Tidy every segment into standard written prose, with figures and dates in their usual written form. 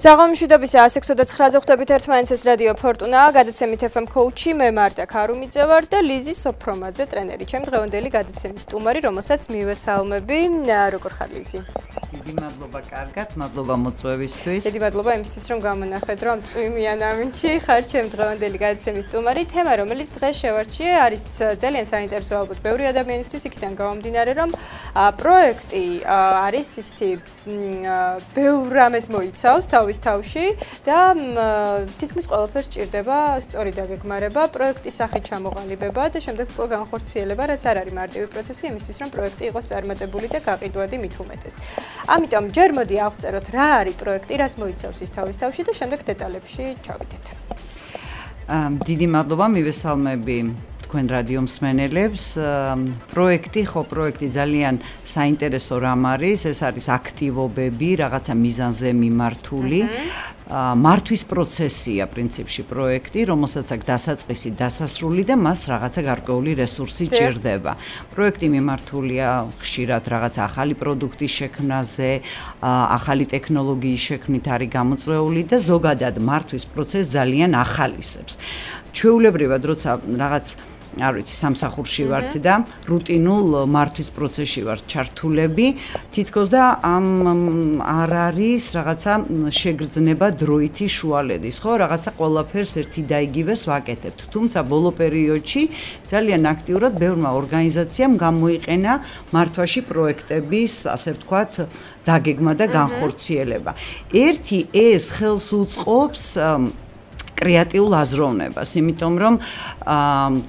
საღამომშვიდობის 169-ზე ხვდებით ერთმანეთს, ეს რადიო ფორტუნა, გადაცემით FM Coach-ი, მე მარტა ქარუმიძე ვარ და ლიზი სოფრომაძე ტრენერი, ჩემი დღევანდელი გადაცემის სტუმარი, რომელსაც მივესალმები. როგორ ხარ ლიზი? დიდი მადლობა, კარგად, მადლობა მოწვევისთვის. დიდი მადლობა იმისთვის, რომ გამონახეთ, რომ წვიმიან ამინდში ხარ ჩემი დღევანდელი გადაცემის სტუმარი. თემა, რომელიც დღეს შევარჩიე, არის ძალიან საინტერესო ალბათ ბევრი ადამიანისთვის, იქიდან გამომდინარე, რომ პროექტი არის ისეთი ბევრ რამეს მოიცავს თავის თავში და თითქმის ყველაფერს სჭირდება სწორი დაგეგმარება, პროექტის სახით ჩამოყალიბება და შემდეგ უკვე განხორციელება, რაც არ არის მარტივი პროცესი იმისთვის, რომ პროექტი იყოს წარმატებული და გაყიდვადი მით უმეტეს. ამიტომ ჯერ მოდი ავწეროთ რა არის პროექტი, რას მოიცავს ის თავის თავში და შემდეგ დეტალებში ჩავიდეთ. დიდი მადლობა, მივესალმები თქვენ რადიო მსმენელებს. პროექტი ძალიან საინტერესო რამ არის, ეს არის აქტივობები, რაღაცა მიზანზე მიმართული. მართვის პროცესია პრინციპში პროექტი, რომელსაც აქვს დასაწყისი, დასასრული და მას რაღაცა გარკვეული რესურსი ჭირდება. პროექტი მიმართულია ხშირად რაღაცა ახალი პროდუქტის შექმნაზე, ახალი ტექნოლოგიის შექმნით არის გამოწვეული და ზოგადად მართვის პროცესს ძალიან ახალისებს. ჩვეულებრივად როცა რაღაც არ ვიცი, სამსახურში ვართ და რუტინულ მართვის პროცესში ვართ ჩართულები, თითქოს და არ არის რაღაცა შეგრძნება დროითი შუალედის, ხო? რაღაცა ყველაფერს ერთი და იგივეს ვაკეთებთ. თუმცა ბოლო პერიოდში ძალიან აქტიურად ბევრმა ორგანიზაციამ გამოიყენა მართვაში პროექტების, ასე ვთქვათ, დაგეგმა და განხორციელება. ერთი ეს ხელს უწყობს კრეატიულ აზროვნებას, იმიტომ რომ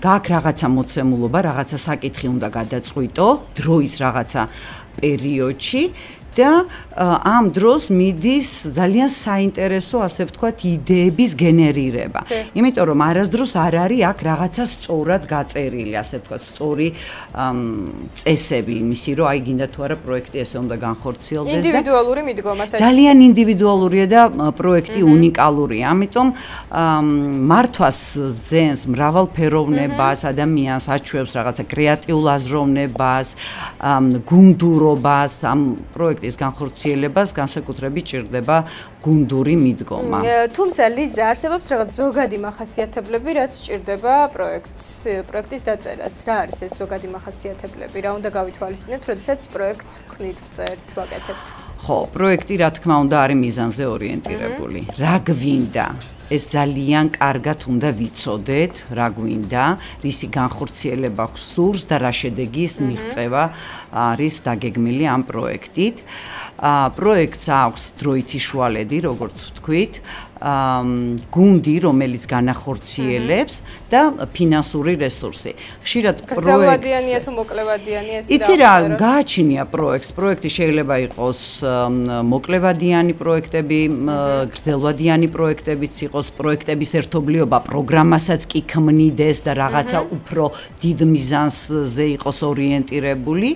გაქვს რაღაცა მოცემულობა, რაღაცა საკითხი უნდა გადაწყვიტო დროის რაღაცა პერიოდში და ამ დროს მიდის ძალიან საინტერესო, ასე ვთქვათ, იდეების გენერირება. იმიტომ რომ არასდროს არ არის აქ რაღაცა სწორად გაწერილი, ასე ვთქვათ, სწორი წესები იმისი, რომ აი გინდა თუ არა პროექტი ესე უნდა განხორციელდეს და ინდივიდუალური მიდგომა ძალიან ინდივიდუალურია და პროექტი უნიკალურია. ამიტომ მართვას ძენს მრავალფეროვნებას, ადამიანს აჩვევს რაღაცა კრეატიულ აზროვნებას, გუნდურობას, ამ პროექტის განხორციელებას განსაკუთრებით ჭირდება გუნდური მიდგომა. თუმცა ლიზა არსებობს რაღაც ზოგადი მახასიათებლები, რაც სჭირდება პროექტის დაწერას. რა არის ეს ზოგადი მახასიათებლები? რა უნდა გავითვალისწინოთ, როდესაც პროექტს ვქმნით, ვწერთ, ვაკეთებთ? ხო, პროექტი რა თქმა უნდა არის მიზანზე ორიენტირებული. რა გვინდა? ეს ძალიან კარგად უნდა ვიცოდეთ, რა გვინდა, რისი განხორციელება გსურს და რა შედეგის მიღწევა არის დაგეგმილი ამ პროექტით. პროექტს აქვს დროითი შუალედი, როგორც ვთქვით, გუნდი, რომელიც განახორციელებს და ფინანსური რესურსი. ხშირად გრძელვადიანია თუ მოკლევადიანი ეს იცი რა, გააჩნია პროექტს. პროექტი შეიძლება იყოს მოკლევადიანი პროექტები, გრძელვადიანი პროექტებიც იყოს, პროექტების ერთობლიობა პროგრამასაც კი ქმნიდეს და რაღაცა უფრო დიდ მიზანზე იყოს ორიენტირებული.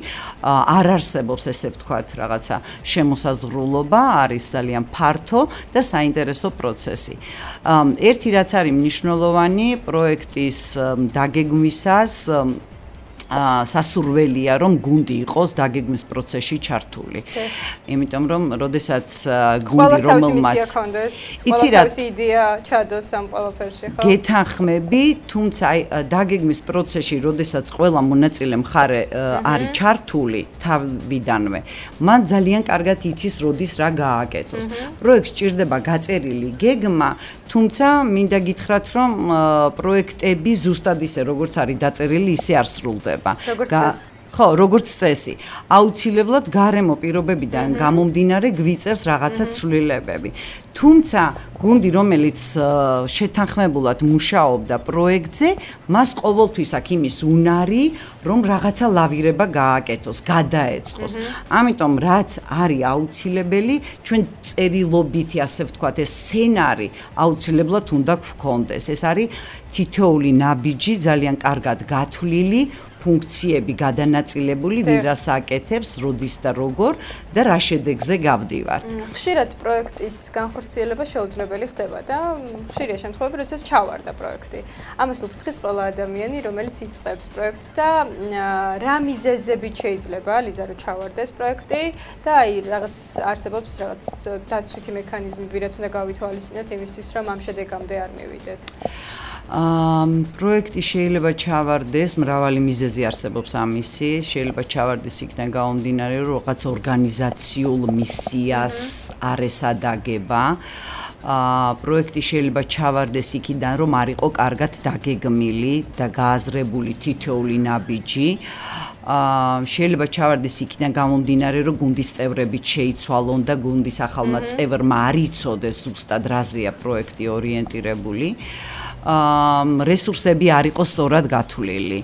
არ არსებობს ესე ვთქვათ რაღაცა შემოსაზღვრულობა, არის ძალიან ფართო და საინტერესო პროცესი. ერთი რაც არის მნიშვნელოვანი პროექტის დაგეგმვისას სასურველია, რომ გუნდი იყოს დაგეგმვის პროცესში ჩართული. იმიტომ რომ, როდესაც გუნდი რომელმაც იცი რა იდეა ჩადოს ამ ყველაფერში, ხო? გეთანხმები, თუმცა აი დაგეგმვის პროცესში, როდესაც ყველა მონაწილე მხარე არის ჩართული თავიდანვე, მან ძალიან კარგად იცის, როდის რა გააკეთოს. პროექტს სჭირდება გაწერილი გეგმა, თუმცა მინდა გითხრათ, რომ პროექტები ზუსტად ისე, როგორც არის დაწერილი, ისე არ სრულდება. ხო, როგორც წესი. აუცილებლად გარემო პირობებიდან გამომდინარე გვიწევს რაღაცა ცვლილებები. თუმცა გუნდი, რომელიც შეთანხმებულად მუშაობდა პროექტზე, მას ყოველთვის აქვს იმის უნარი, რომ რაღაცა ლავირება გააკეთოს, გადაეწყოს. ამიტომ რაც არის აუცილებელი, ჩვენ წერილობითი, ასე ვთქვათ, ეს სცენარი აუცილებლად უნდა გვქონდეს. ეს არის თითოეული ნაბიჯი ძალიან კარგად გათვლილი, ფუნქციები გადანაწილებული, ვირას აკეთებს, როდის და როგორ და რა შედეგზე გავდივართ. ხშირად პროექტის განხორციელება შეუძლებელი ხდება და ხშირია შემთხვევები, როდესაც ჩავარდა პროექტი. ამას უფრთხის ყველა ადამიანი, რომელიც იწყებს პროექტს და რა მიზეზებით შეიძლება ლიზა რომ ჩავარდეს პროექტი და აი რაღაც არსებობს რაღაც დაცვითი მექანიზმები, რაც უნდა გავითვალისწინოთ იმისთვის, რომ ამ შედეგამდე არ მივიდეთ. პროექტი შეიძლება ჩავარდეს, მრავალი მიზეზი არსებობს ამისი, შეიძლება ჩავარდეს იქიდან გამომდინარე, რომ რაღაც ორგანიზაციულ მისიას არ ესადაგება. პროექტი შეიძლება ჩავარდეს იქიდან, რომ არ იყო კარგად დაგეგმილი და გააზრებული თითოეული ნაბიჯი. შეიძლება ჩავარდეს იქიდან გამომდინარე, რომ გუნდის წევრები შეიცვალონ და გუნდის ახალმა წევრმა არ იცოდეს ზუსტად რაზეა პროექტი ორიენტირებული. რესურსები არ იყო სწორად გათვლილი.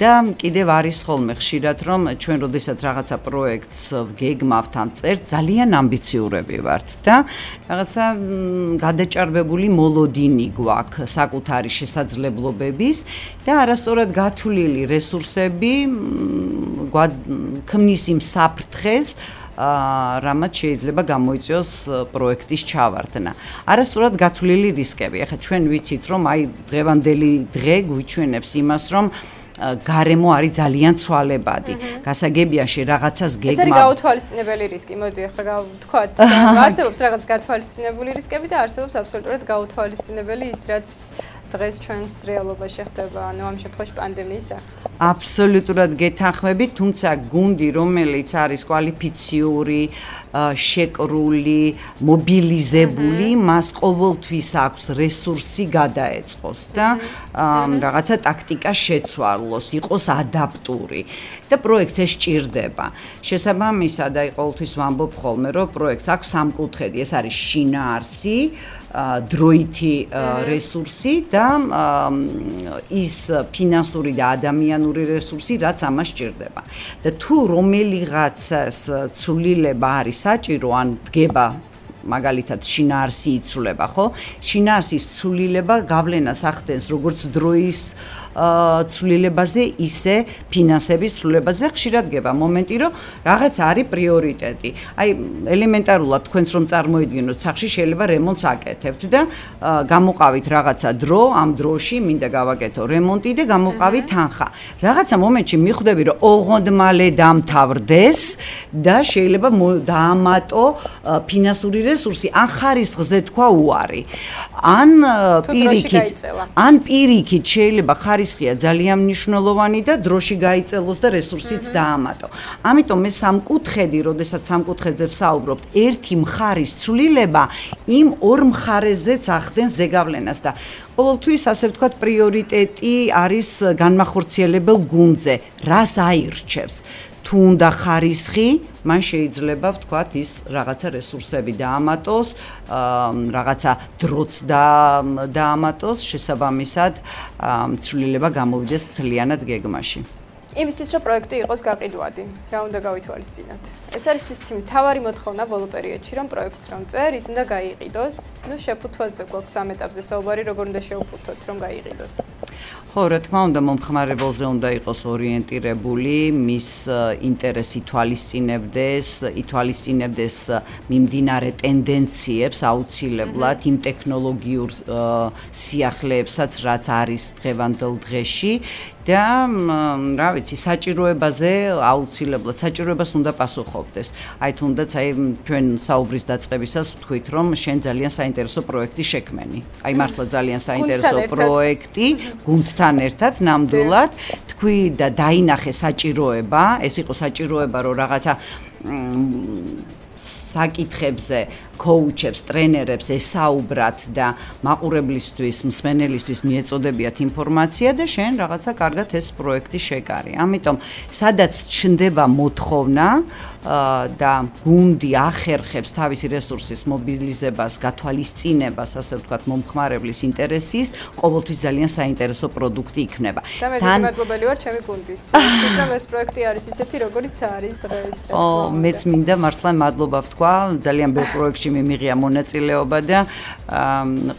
და კიდევ არის ხოლმე ხშირად, რომ ჩვენ როდესაც რაღაცა პროექტს ვგეგმავთ ან წერთ, ძალიან ამბიციურები ვართ და რაღაცა გადაჭარბებული მოლოდინი გვაქვს საკუთარი შესაძლებლობების და არასწორად გათვლილი რესურსები ქმნის იმ საფრთხეს, რამაც შეიძლება გამოიწვიოს პროექტის ჩავარდნა. არასწორად გათვლილი რისკები. ახლა ჩვენ ვიცით, რომ აი დღევანდელი დღე გვიჩვენებს იმას, რომ გარემო არის ძალიან ცვალებადი. გასაგებია რაღაცას გეგმა. ეს არის გაუთვალისწინებელი რისკი. მოდი ახლა ვთქვათ, არსებობს რაღაც გათვალისწინებული რისკები და არსებობს აბსოლუტურად გაუთვალისწინებელი ის, რაც დღეს ჩვენს რეალობაში ხდება, ანუ ამ შემთხვევაში პანდემიის სახით. აბსოლუტურად გეთანხმებით, თუმცა გუნდი, რომელიც არის კვალიფიციური, შეკრული, მობილიზებული, მას ყოველთვის აქვს რესურსი გადაეწყოს და რაღაცა ტაქტიკა შეცვალოს, იყოს ადაპტური და პროექტს ეს სჭირდება. შესაბამისად, აი ყოველთვის ვამბობ ხოლმე, რომ პროექტს აქვს სამკუთხედი, ეს არის შინაარსი, დროითი რესურსი და ის ფინანსური და ადამიანური რესურსი, რაც ამას სჭირდება. და თუ რომელიღაცას ცვლილება არის საჭირო, ან დგება მაგალითად შინაარსი იცვლება, ხო? შინაარსის ცვლილება გავლენას ახდენს როგორც დროის ცვლილებაზე, ისე ფინანსების ცვლილებაზე. ხშირად გება მომენტი, რომ რაღაც არის პრიორიტეტი. აი ელემენტარულად თქვენს რომ წარმოიდგინოთ, სახში შეიძლება რემონტს აკეთებთ და გამოყავით რაღაცა დრო, ამ დროში მინდა გავაკეთო რემონტი და გამოყავით თანხა. რაღაცა მომენტში მიხვდები, რომ ოღონდ მალე დამთავრდეს და შეიძლება დაამატო ფინანსური რესურსი, ან ხარისხზე თქვა უარი. ან პირიქით შეიძლება ხარისხია ძალიან მნიშვნელოვანი და დროში გაიწელოს და რესურსიც დაამატო. ამიტომ მე სამკუთხედი, როდესაც სამკუთხედზე ვსაუბრობთ, ერთი მხარის ცვლილება იმ ორ მხარეზეც ახდენს ზეგავლენას და ყოველთვის ასე ვთქვათ პრიორიტეტი არის განმახორციელებელ გუნდზე, რას აირჩევს. თუ უნდა ხარისხი, მან შეიძლება ვთქვათ ის რაღაცა რესურსები დაამატოს, რაღაცა დროც დაამატოს, შესაბამისად ცვლილება გამოვიდეს მთლიანად გეგმაში. იმისთვის რომ პროექტი იყოს გაყიდვადი, რა უნდა გავითვალისწინოთ? ეს არის ისეთი მთავარი მოთხოვნა ბოლო პერიოდში, რომ პროექტს რომ წერ, ის უნდა გაიყიდოს. ნუ შეფუთვაზე გვაქვს ამ ეტაპზე საუბარი, როგორ უნდა შევფუთოთ, რომ გაიყიდოს. ხო, რა თქმა უნდა, მომხმარებელზე უნდა იყოს ორიენტირებული, მის ინტერესი ითვალისწინებდეს მიმდინარე ტენდენციებს აუცილებლად, იმ ტექნოლოგიურ სიახლეებსაც, რაც არის დღევანდელ დღეში. და რა ვიცი, საჭიროებაზე აუცილებლად საჭიროებას უნდა პასუხობდეს. აი თუნდაც აი ჩვენ საუბრის დაწყებისას ვთქვით, რომ შენ ძალიან საინტერესო პროექტი შექმენი. აი მართლა ძალიან საინტერესო პროექტი გუნდთან ერთად ნამდვილად თქვი და დაინახე საჭიროება, ეს იყო საჭიროება, რომ რაღაცა საკითხებზე კოუჩებს, ტრენერებს ესაუბრათ და მაყურებლისთვის, მსმენელისთვის მიეწოდებიათ ინფორმაცია და შენ რაღაცა კარგად ეს პროექტი შეკარი. ამიტომ სადაც ჩნდება მოთხოვნა და გუნდი ახერხებს თავისი რესურსის მობილიზებას, გათვალისწინებას, ასე ვთქვათ, მომხმარებლის ინტერესის, ყოველთვის ძალიან საინტერესო პროდუქტი იქნება. თან მადლობელი ვარ ჩემი გუნდის. ის რომ ეს პროექტი არის ისეთი, როგორიც არის დღეს. მეც მინდა მართლა მადლობა ვთქვა თქვა, ძალიან ბევრ პროექტში მიმიღია მონაწილეობა და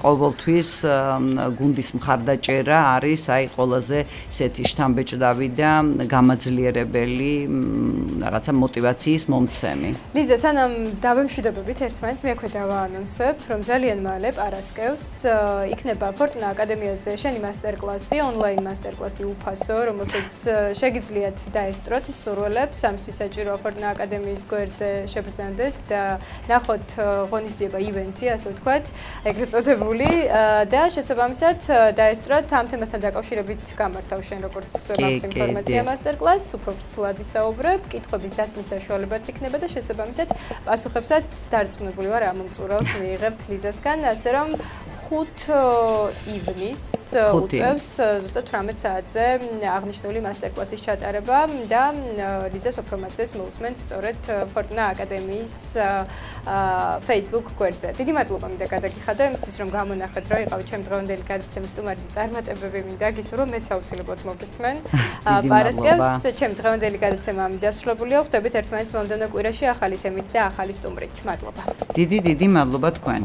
ყოველთვის გუნდის მხარდაჭერა არის აი ყველაზე ესეთი შთამბეჭდავი და გამაძლიერებელი რაღაცა мотиваციის მომცემი. ლიზა, სანამ დავემშვიდობებით ერთმანეთს, მე აქვე დავაანონსებ, რომ ძალიან მალე პარასკევს იქნება ფორტუნა აკადემიაზე შენი მასტერკლასი, ონლაინ მასტერკლასი უფასო, რომელსაც შეგიძლიათ დაესწროთ მსურველებს, ამისთვის საჭიროა ფორტუნა აკადემიის გვერდზე შებრძანდეთ და ნახოთ ღონისძიება ივენთი, ასე ვთქვათ, ეგრეთ წოდებული და შესაბამისად დაესწროთ ამ თემასთან დაკავშირებით გამართავ შენ როგორც მაქვს ინფორმაცია მასტერკლასს, უფრო ვრცლად ისაუბრებ, კითხვების დასმის საშუალებაც იქნება და შესაბამისად პასუხებსაც დარწმუნებული ვარ ამ მომწურავს მიიღებთ ლიზასგან, ასე რომ 5 ივნისს უწევს ზუსტად 18 საათზე აღნიშნული მასტერკლასის ჩატარება და ლიზას ოფრომაძეს მოусმენთ სწორედ ფორტუნა აკადემიის Facebook გვერდზე. დიდი მადლობა მინდა გადაგიხადო იმისთვის რომ გამონახეთ რომ იყავით ჩემ დღევანდელი გადაცემის სტუმარი წარმატებები მინდა გისურვო მეც აუცილებლად მოგესმენ. პარასკევს ჩემ დღევანდელი გადაცემა დასრულებულია. ხვდებით ერთმანეთს მომდევნო კვირაში ახალი თემით და ახალი სტუმრით. მადლობა. დიდი მადლობა თქვენ.